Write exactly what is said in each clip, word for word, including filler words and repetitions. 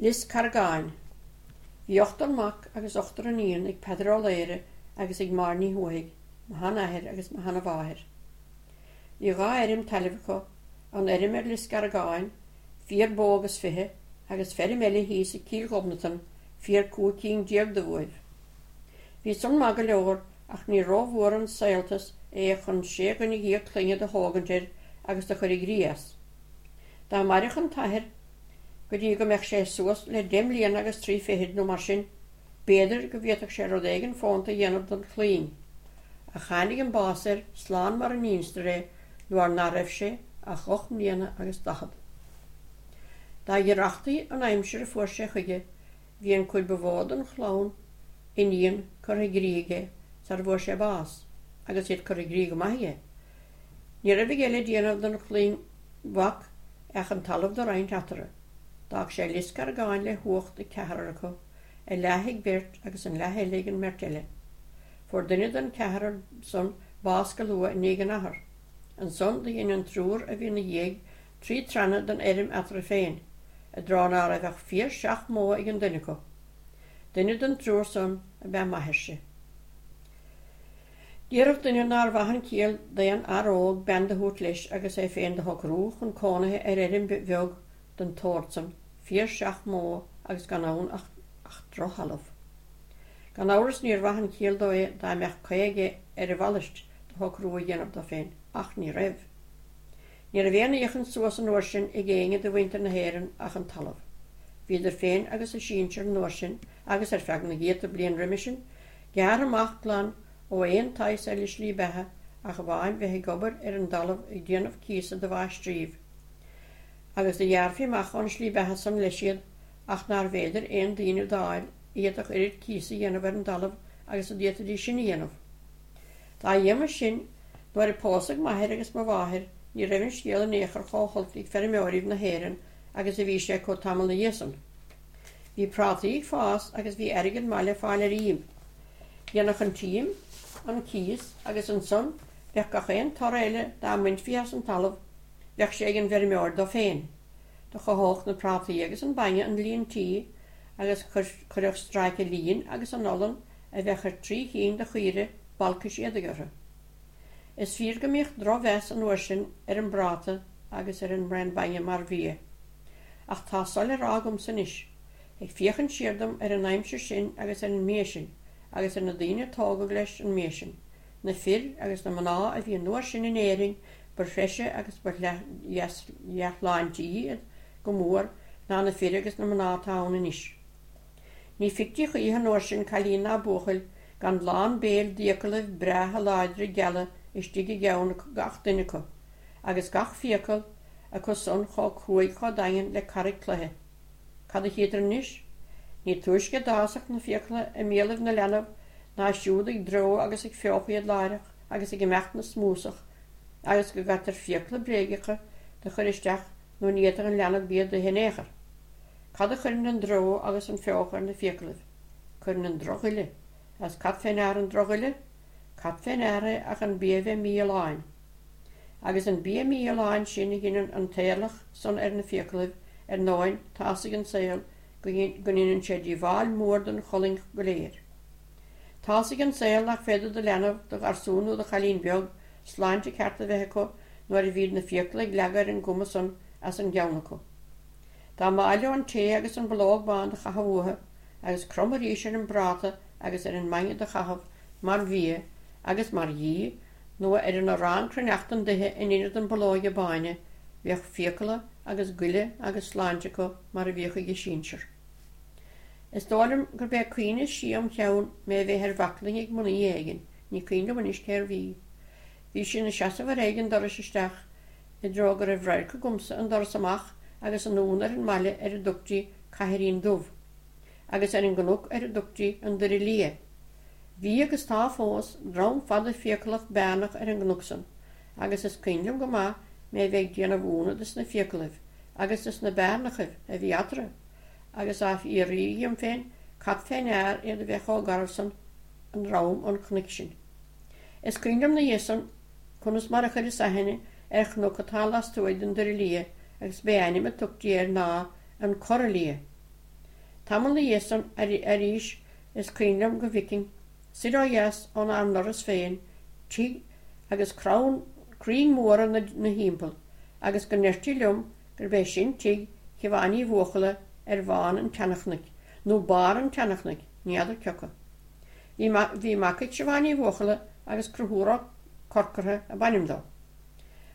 Lios Carragáin. Bhí ochtar mac agus ochtar iníon ag Peadar Ó Laoghaire agus ag Máire Ní Thuathaigh, mo sheanathair agus mo sheanamháthair. Bhí dhá fheirm talaimh acu, an fheirm ar Lios Carragáin, fíor bó agus fiche, agus feirm eile thíos i gCill Ghobnatan, fíor cúig cinn déag de bhuaibh. Bhí san maith go leor ach ní rómhór an saoltas é chun sé dhuine dhéag clainne do thógaint air agus do chur i gcrích as. Dá mairfeadh an t-athair go dtí go mbeadh sé suas le deich mbliana agus trí fichid nó mar sin, b'fhéidir go bhféadfadh sé rud éigin fónta a dhéanamh don chlainn. Ach tháinig an bás air slán mar a n-instear é nuair ná raibh sé ach ocht mbliana agus daichead. Dá ghiorrachtaí an aimsir a fuair sé chuige, bhí an chuid ba mhó den chlann iníon curtha i gcrích aige sara bhfuair sé bás, agus iad curtha i gcrích go maith aige. Ní raibh aige le déanamh don chlainn mhac ach an talamh do roinnt eatarthu. D'fhág sé Lios Carragáin le huacht ag ceathrar acu, a leath ag beirt agus an leath eile ag an mbeirt eile. Fuair duine den cheathrar san bás go luath i ndiaidh an athar. Ansan do dhein an triúr a bhí ina dhiaidh trí troinnte den fheirm eatarthu féin, i dtreo ná raibh ach fíor seacht mbó ag an duine acu. Duine den triúr san ab ea m'athairse. Déarfadh duine nár mhaith an chiall d'aon fhear óg bean do thabhairt leis agus é féin do shocrú chun cónaithe ar fheirm bheag den tsórt san, fíor seacht mbó agus gan ann ach drochthalamh. Gan amhras níor mhaith an chiall dó é dá mbeadh caoi aige ar a mhalairt de shocrú a dhéanamh dó féin, ach ní raibh. Ní raibh aon fhiachaint suas an uair sin ag éinne de mhuintir na hÉireann ach an talamh. Bhíodar féin agus a sinsir an uair sin, agus ar feadh na gcéadta bliain roimhe sin, gearrtha amach glan ó aon tsaghas eile slí beatha ach amháin bheith ag obair ar an dtalamh ag déanamh cíosa do mháistríbh. Agus do ghearrfaí amach ón slí beatha san leis iad ach nárbh fhéidir aon daoine d'fháil a d'fhéadfadh oiread cíosa a dhéanamh ar an dtalamh agus a d'fhéadfaidís sin a dhéanamh. Dá éagmais sin, nuair a pósadh m'athair agus mo mháthair ní raibh an scéal in aon chor chomh holc ag feirmeoiríbh na hÉireann agus a bhí sé acu tamall 'na dhiaidh san. Bhí prátaí ag fás agus bhí airgead maith le fáil ar ím. Dhéanfadh an t-ím an cíos agus ansan bheadh gach aon toradh eile dá mbainfí as an talamh, Bheadh sé ag an bhfeirmeoir dó féin. Do chothódh na prátaí agus an bainne an líon tí agus chuirfeadh stráice lín agus an olann a bheadh ar trí chinn de chaoire balcais éadaigh orthu. Is fíor go mbíodh drochmheas an uair sin ar an bpráta agus ar an mbraon bainne mar bhia. Ach tá so le rá agamsa anois, ag féachaint siar dom ar an aimsir sin agus ar an mbia sin agus ar na daoine a tógadh leis an mbia sin, na fir agus na mná a bhí an uair sin in Éirinn ba threise agus ba dhea-shláintí iad go mór ná na fir agus na mná atá ann anois. Ní feictí choíche an uair sin cailín ná buachaill gan lán béil d'fhiaclaibh breátha láidre geala istigh i gceann gach duine acu, agus gach fiacail acu san chomh cruaidh chomh daingean le carraig cloiche. Cad a chítear anois? Ní túisce a d'fhásfadh na fiacla i mbéalaibh na leanbh ná siúd ag dreo agus ag feochadh iad láithreach agus ag imeacht 'na smúsach agus go gcaitear fiacla bréagacha do chur isteach nó ní fhéadfadh an leanbh bia d'ithe in aon chor. Cad a chuireann an dreo agus an feochadh ar na fiaclaibh? Cuireann an drochghoile. Agus cad fé ndear an drochghoile? Cad fé ndear é ach an bia bheith mífholláin. Agus an bia mífholláin sin a dheineann an t-éirleach san ar na fiaclaibh, ar ndóin, tá's ag an saol go ndeineann sé díobháil mhór don cholainn go léir. Tá's ag an saol nach féidir do leanbh, do gharsún nó do chailín beag, sláinte ceart a bheith acu nuair a bhíd na fiacla ag leagadh ar an gcuma san as an gceann acu. Dá mb'áil leo an tae agus an bulóg bán do chaitheamh uathu agus cromadh arís ar an bpráta agus ar an mbainne do chaitheamh mar bhia agus mar dhí nó ar an arán cruithneachtan d'ithe in ionad an bulóige báine, bheadh fiacla agus goile agus sláinte acu mar a bhíodh ag a sinsir. Is dóigh liom gurb é cuimhne siar im cheann mé a bheith ar bhaclainn ag mnaoi éigin, ní cuimhin liom anois cérbh í. Bhí sí ina seasamh ar aghaidh an dorais isteach, i dtreo go raibh radharc agamsa an doras amach agus anonn ar an mbaile ar a dtugtaí Caithrín Dubh, agus ar an gcnoc ar a dtugtaí an Doire Liath. Bhí, agus tá fós, drom fada fiaclach bearnach ar an gcnoc san, agus is cuimhin liom go maith mé a bheith ag déanamh ionadh de sna fiaclaibh agus de sna bearnachaibh a bhí eatarthu, agus á fhiafraí dhíom féin cad fé ndear iad a bheith chomh garbh san i ndroim an chnoic sin. Is cuimhin liom 'na dhiaidh san conas mar a chuireas aithne ar chnoc atá lastuaidh den Doire Liath agus b'é ainm a tugtaí air ná An Corra Liath. Tamall 'na dhiaidh san arís is cuimhin liom go bhficinn, soir ó dheas ónár ndoras féin, tigh agus crann, crainn mhóra 'na thimpeall, agus go ndeirtí liom gurb é sin tigh Shiobháin Uí Bhuachalla ar bhonn an tseanchnoic, nó barr an tseanchnoic, ní fheadar cioca. Bhí bhí mac ag Siobhán Ní Bhuachalla agus Conchúr Ó Corcordha ab ainm dó.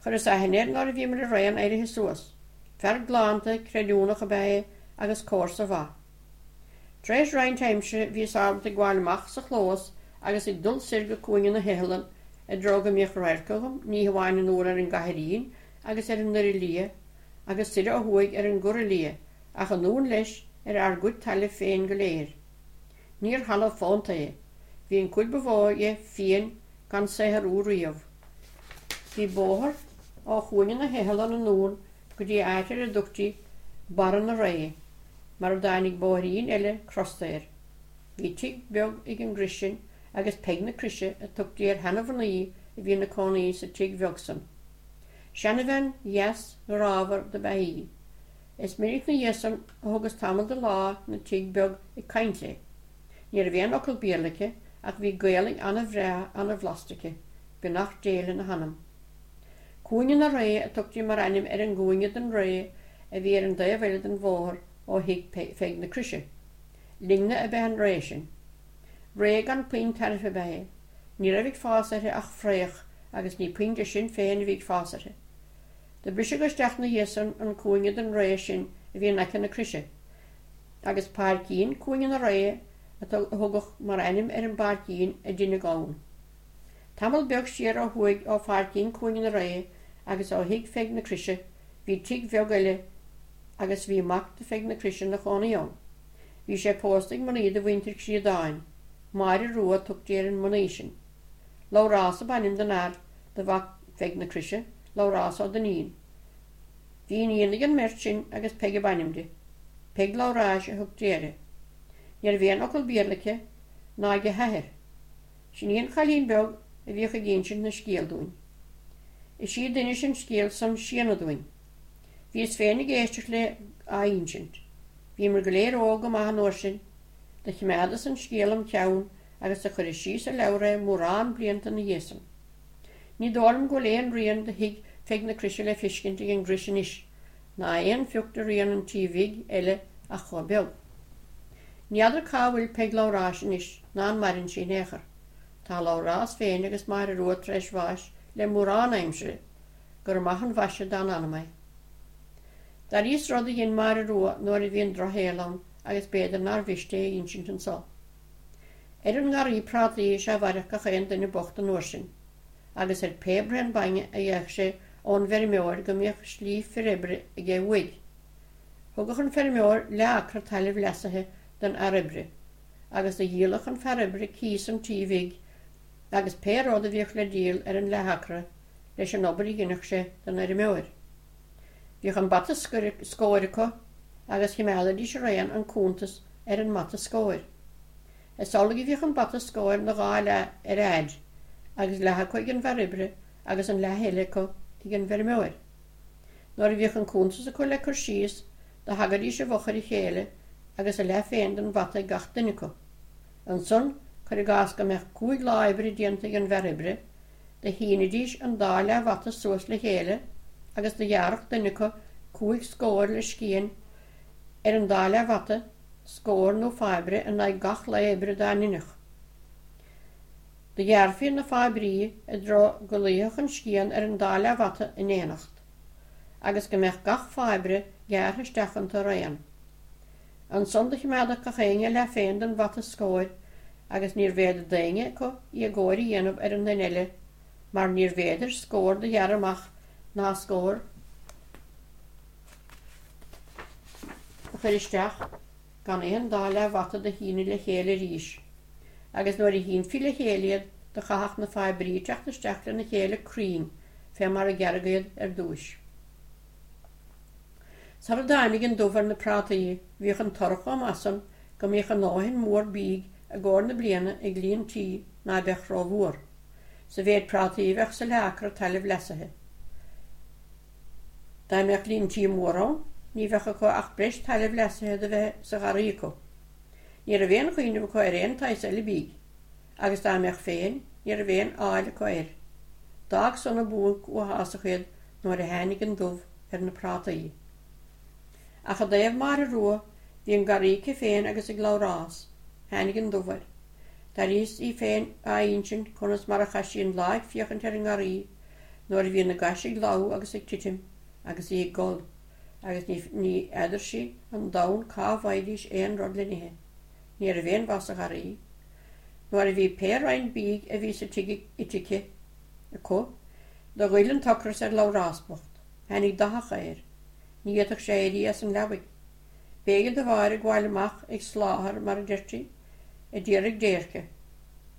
Chuireas aithne air nuair a bhíomar araon éirithe suas. Fear galánta, creidiúnach ab ea é agus comharsa mhaith. Tar éis roinnt aimsire bhíos ábalta ag gabháil amach sa chlós agus ag dul soir go Cúinne na hIothlainne i dtreo go mbíodh radharc agam ní hamháin anoir ar an gCathairín agus ar an nDoire Liath agus soir ó thuaidh ar an gCora Liath ach anonn leis ar ár gcuid talaimh féin go léir. Níor thalamh fónta é. Bhí an chuid ba mhó dhe fiain gan saothrú riamh. Bhí bóthar ó Chúinne na hIothlainne anonn go dtí áit ar a dtugtaí Barra na Ré, mar a dtáinig bóithrín eile crosta air. Bhí tigh beag ag an gcrois sin agus Peig na Croise a tugtaí ar sheana-mhnaoi a bhí ina cónaí sa tigh bheag san. Seanabhean dheas ghrámhar dob ea í. Is minic 'na dhiaidh san a thugas tamall de lá 'na tigh beag ag caint léi. Ní raibh aon fhocal Béarla aici ach bhí Gaelainn ana-bhreá ana-bhlasta aici, beannacht Dé lena hanam. Cúinne na Ré a tugtaí mar ainm ar an gcúinne den ré a bhí ar an dtaobh eile den bhóthar ó thigh Pheig na Croise. Linne ab ea an ré sin. Ré gan puinn tairbhe ab ea é. Ní raibh ag fás uirthi ach fraoch agus ní puinn de sin féin a bhí ag fás uirthi. Do briseadh isteach 'na dhiaidh san an cúinne den ré sin a bhí in aice na croise, agus Páircín Cúinne na Ré a tugadh mar ainm ar an bpáircín a deineadh ann. Tamall beag siar ó thuaidh ó Pháircín Cúinne na Ré agus ó thigh Pheig na Croise bhí tigh bheag eile agus bhí mac do Pheig na Croise 'na chónaí ann. Bhí sé pósta ag mnaoi de mhuintir Chríodáin, Máire Rua a tugtaí ar an mnaoi sin. Labhrás ab ainm don fhear do mhac Pheig na Croise, Labhrás Ó Duinnín. Bhí iníon ag an mbeirt sin agus Peig ab ainm di. Peig Labhráis a thugtaí uirthi. Ní raibh aon fhocal Béarla aici ná ag a hathair. Sin í an chailín beag a bhíodh ag insint na scéal dúinn. Is í a d'inis an scéal san Síona dúinn. Bhíos féin ag éisteacht léi á insint. Bhíomar go léir óg go maith an uair sin. Do choimeádas an scéal im cheann agus do chuireas síos i leabhar é mórán blianta ina dhiaidh san. Ní dóigh liom go bhfuil aon rian de thigh Pheig na Croise le feiscint ag an gcrois anois, ná aon phioc de rian an tí bhig eile ach chomh beag. Ní fheadar cá bhfuil Peig Labhráis anois ná an maireann sí in aon chor. Tá Labhrás féin agus Máire Rua tar éis bháis le mórán aimsire. Gur maith an mhaise dá n-anam é. D'airíos rud a dhein Máire Rua nuair a bhí an drochshaol ann agus b'fhéidir nár mhiste é a insint anso. Ar an ngarraí prátaí is ea a mhairfeadh gach aon duine bocht an uair sin, agus ar pé braon bainne a gheibheadh sé ón bhfeirmeoir go mbíodh slí fir oibre aige uaidh. Thugadh an feirmeoir leath-acra tailimh leasaithe don fhear oibre, agus do dhíoladh an fear oibre cíos an tí bhig agus pé rud a bhíodh le díol ar an leath-acra leis an obair a dheineadh sé don fheirmeoir. Bhíodh an bata scóir acu agus chimeádaidís araon an cuntas ar an mbata scóir. Is amhlaidh a bhíodh an bata scóir 'na dhá leath ar fhaid, agus leath acu ag an bhfear oibre agus an leath eile acu ag an bhfeirmeoir. Nuair a bhíodh an cuntas acu le cur síos, do thagaidís i bhfochair a chéile agus a leath féin den bhata ag gach duine acu. Ansan, cuir i gcás go mbeadh cúig lá oibre déanta ag an bhfear oibre, do shínidís an dá leathbhata suas le chéile agus do ghearrfadh duine acu cúig scór le scian ar an dá leathbhata, scór nó fairbre in aghaidh gach lae oibre dá ndeineadh. Do ghearrfaí na fairbrí i dtreo go luífeadh an scian ar an dá leathbhata in éineacht, agus go mbeadh gach fairbre gearrtha isteach iontu araon. Ansan do chimeádadh gach éinne a leath féin den bhata scóir agus níorbh fhéidir d'éinne acu éagóir a dhéanamh ar an nduine eile mar níorbh fhéidir scór do ghearradh amach ná scór a chur isteach gan aon dá leathbhata do shíneadh le chéile arís, agus nuair a shínfí le chéile iad do chaithfeadh na faibrí teacht isteach lena chéile cruinn fé mar a gearradh iad ar dtúis. Sara dtáinig an dubh ar na prátaí bhíodh an toradh chomh maith san go mbíodh a ndóthain mór bídh i gcomhair na bliana ag líon tí ná beadh rómhór, sa mhéid prátaí a bheadh sa leath-acra tailimh leasaithe. Dá mbeadh líon tí mór ann, ní bheadh acu ach breis tailimh leasaithe do bheith sa gharraí acu. Ní raibh aon chuimhneamh acu ar aon tsaghas eile bídh, agus dá mbeadh féin, ní raibh aon fháil acu air. D'fhág san an buanc uathásach iad nuair a tháinig an dubh ar na prátaí. Ach i dtaobh Máire Rua, bhí an garraí aici féin agus ag Labhrás. Tháinig an dubh air. D'airíos í féin á insint conas mar a chaith sí an lá ag féachaint ar an ngarraí nuair a bhí na gais ag lobhadh agus ag titim agus í ag gol, agus ní n'fheadar sí an domhan cá bhfaighidís aon rud le n-ithe. Ní raibh aon mhaith sa gharraí. Nuair a bhí pé roinnt bídh a bhí sa tigh ite aici, acu, do ghoill an t-ocras ar Labhrás bocht. Tháinig doitheach air. Ní fhéadfadh sé éirí as an leabaidh. B'éigean do Mháire gabháil amach ag sláthar, mar a deirtí, a d'iarraidh déirce.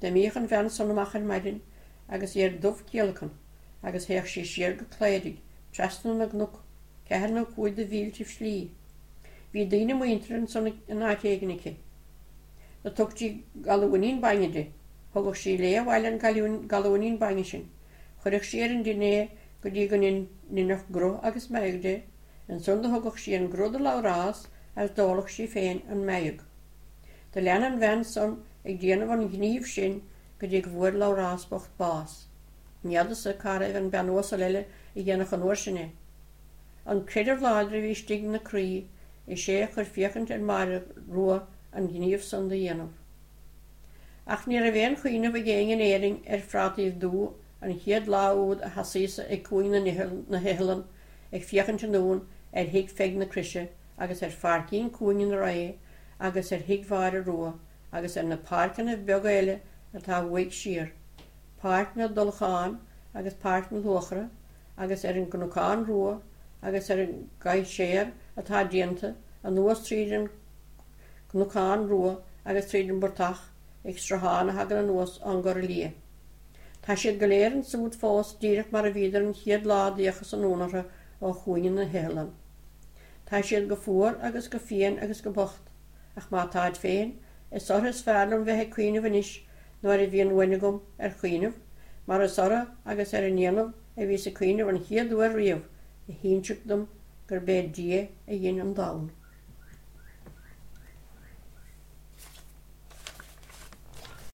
D'imíodh an bhean san amach ar maidin agus í ar dubhchiallacan agus théadh sí siar go Cléirigh, trasna na gcnoc, ceathair nó cúig de mhíltibh slí. Bhí daoine muinteartha ansan in áit éigin aici. Do tugtaí galúinín bainne di. Thugadh sí léi abhaile an galúinín bainne sin. Chuireadh sí ar an dtine é go dtí go ndeineadh gruth agus meadhg de. Ansan do thugadh sí an gruth do Labhrás agus d'óladh sí féin an meadhg. Do lean an bhean san ag déanamh an ghnímh sin go dtí go bhfuair Labhrás bocht bás. Ní fheadarsa cá raibh an bean uasal eile a dhéanfadh an uair sin é. An creideamh láidir a bhí istigh 'na croí, is é a chuir féachaint ar Mháire Rua an gníomh san do dhéanamh. Ach ní raibh aon chuimhneamh ag éinne in Éirinn ar phrátaíbh dubha an chéad lá úd a sheasaíos-sa ag cúinne na hiothlainne ag féachaint anonn ar thigh Pheig na Croise agus ar pháircín cúinne na Ré agus ar thigh Mháire Rua agus ar na páirceannaibh beaga eile atá uaidh siar, Páirc na dTulachán agus Páirc na Luachra agus ar an gCnocán Rua agus ar an gcaidhséar atá déanta anuas tríd an gCnocán Rua agus tríd an bportach ag sruthán a thagann anuas ón gCora Liath. Tá siad go léir ansúd fós díreach mar a bhíodar an chéad lá a d'fhéachas anonn orthu ó chúinne na hiothlainne. Tá siad go fuar agus go fiain agus go bocht, ach má táid féin, is orthu is fearr liom bheith ag cuimhneamh anois nuair a bhíonn uain agam ar chuimhneamh, mar is orthu agus ar a ndéanamh a bhíos ag cuimhneamh an chéad uair riamh a hínseadh dom gurb é Dia a dhein an domhan.